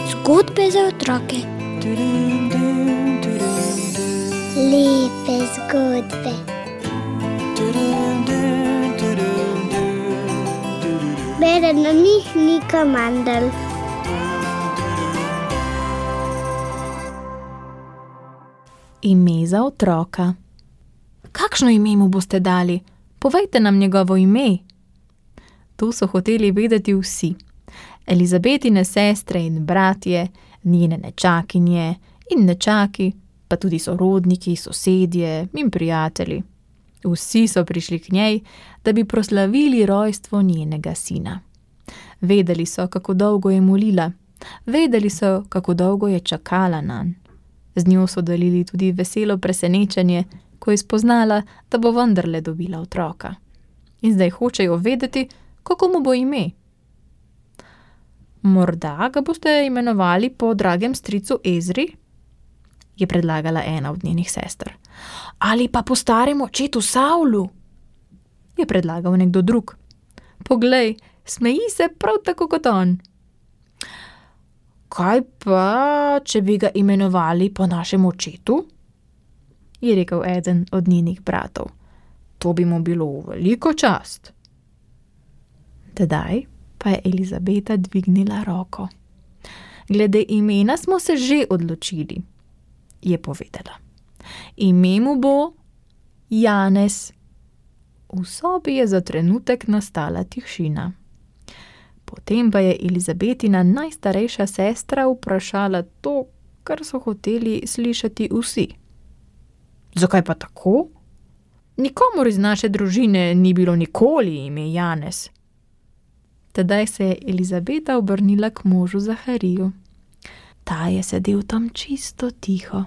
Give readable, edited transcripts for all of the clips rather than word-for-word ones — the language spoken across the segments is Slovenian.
Zgodbe za otroke. Lepe zgodbe. Bere na njih Nika Mandl. Ime za otroka. Kakšno ime mu boste dali? Povejte nam njegovo ime. To so hoteli vedeti vsi. Elizabetine sestre in bratje, njene nečakinje in nečaki, pa tudi sorodniki, sosedje in prijatelji. Vsi so prišli k njej, da bi proslavili rojstvo njenega sina. Vedeli so, kako dolgo je molila. Vedeli so, kako dolgo je čakala nanj. Z njo so delili tudi veselo presenečenje, ko je spoznala, da bo vendarle dobila otroka. In zdaj hočejo vedeti, kako mu bo ime. Morda ga boste imenovali po dragem stricu Ezri, je predlagala ena od njenih sester. Ali pa po starem očetu Savlu, je predlagal nekdo drug. Poglej, smeji se prav tako kot on. Kaj pa, če bi ga imenovali po našem očetu? Je rekel eden od njenih bratov. To bi mu bilo v veliko čast. Tedaj pa je Elizabeta dvignila roko. Glede imena smo se že odločili, je povedala. Ime mu bo Janez. V sobi je za trenutek nastala tišina. Potem pa je Elizabetina najstarejša sestra vprašala to, kar so hoteli slišati vsi. Zakaj pa tako? Nikomur iz naše družine ni bilo nikoli ime Janez. Tedaj se je Elizabeta obrnila k možu Zahariju. Ta je sedel tam čisto tiho.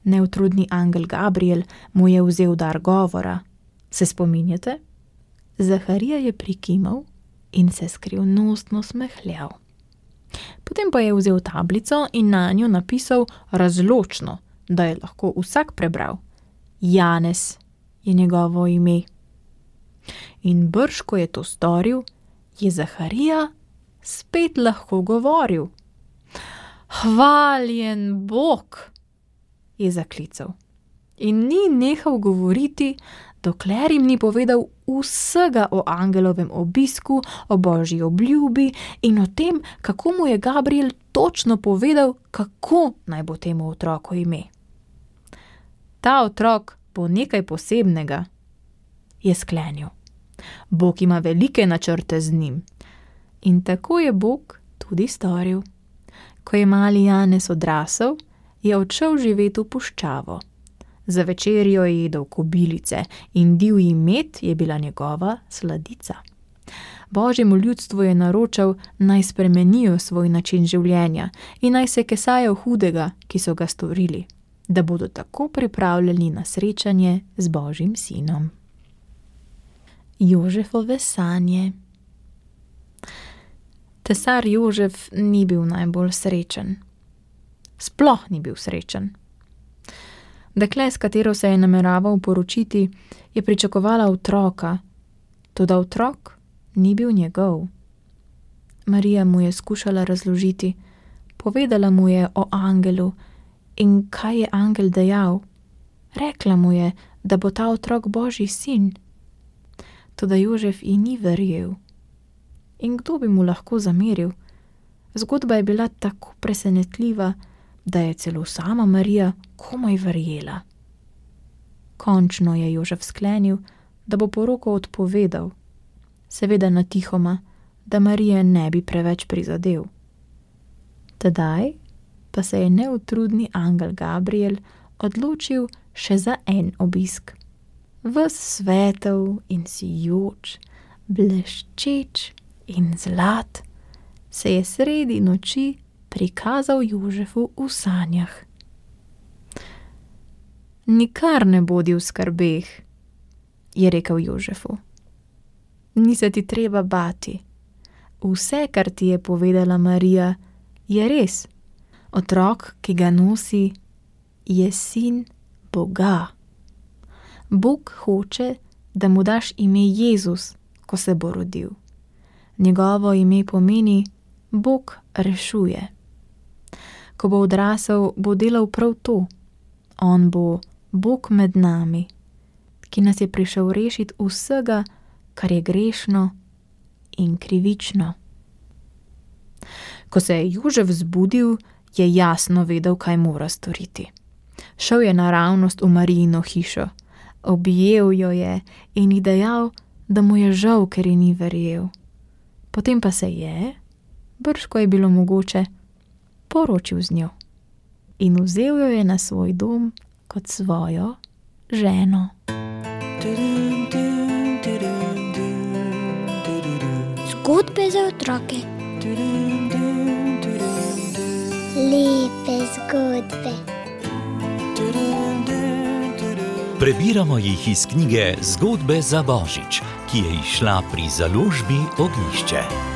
Neutrudni angel Gabriel mu je vzel dar govora. Se spominjate? Zaharija je prikimal in se skrivnostno smehljal. Potem pa je vzel tablico in na njo napisal razločno, da je lahko vsak prebral. Janez je njegovo ime. In brž, ko je to storil, je Zaharija spet lahko govoril. Hvaljen Bog, je zaklical. In ni nehal govoriti, dokler jim ni povedal vsega o angelovem obisku, o božji obljubi in o tem, kako mu je Gabriel točno povedal, kako naj bo temu otroku ime. Ta otrok bo nekaj posebnega, je sklenil. Bog ima velike načrte z njim. In tako je Bog tudi storil. Ko je mali Janez odrasel, je odšel živeti v puščavo. Za večerjo je jedel kobilice in divji med je bila njegova sladica. Božjemu ljudstvu je naročal, naj spremenijo svoj način življenja in naj se kesajo hudega, ki so ga storili, da bodo tako pripravljeni na srečanje z Božjim sinom. Jožefove sanje. Cesar Jožef ni bil najbolj srečen. Sploh ni bil srečen. Dekle, s katero se je nameraval poročiti, je pričakovala otroka, toda otrok ni bil njegov. Marija mu je skušala razložiti, povedala mu je o angelu in kaj je angel dejal. Rekla mu je, da bo ta otrok Božji sin. Toda Jožef ji ni verjel. In kdo bi mu lahko zameril? Zgodba je bila tako presenetljiva, da je celo sama Marija komaj verjela. Končno je Jožef sklenil, da bo poroko odpovedal, seveda natihoma, da Marije ne bi preveč prizadel. Tedaj pa se je neutrudni angel Gabriel odločil še za en obisk. Ves svetel in sijoč, bleščeč in zlat, se je sredi noči prikazal Jožefu v sanjah. Nikar ne bodi v skrbeh, je rekel Jožefu. Ni se ti treba bati. Vse, kar ti je povedala Marija, je res. Otrok, ki ga nosi, je sin Boga. Bog hoče, da mu daš ime Jezus, ko se bo rodil. Njegovo ime pomeni Bog rešuje. Ko bo odrasel, bo delal prav to. On bo Bog med nami, ki nas je prišel rešiti vsega, kar je grešno in krivično. Ko se je Jožef zbudil, je jasno vedel, kaj mora storiti. Šel je naravnost v Marijino hišo, objel jo je in ji dejal, da mu je žal, ker ji ni verjel. Potem pa se je, brž ko je bilo mogoče, poročil z njo in vzel jo je na svoj dom kot svojo ženo. Zgodbe za otroke. Lepe zgodbe. Prebiramo jih iz knjige Zgodbe za Božič, ki je izšla pri založbi Ognjišče.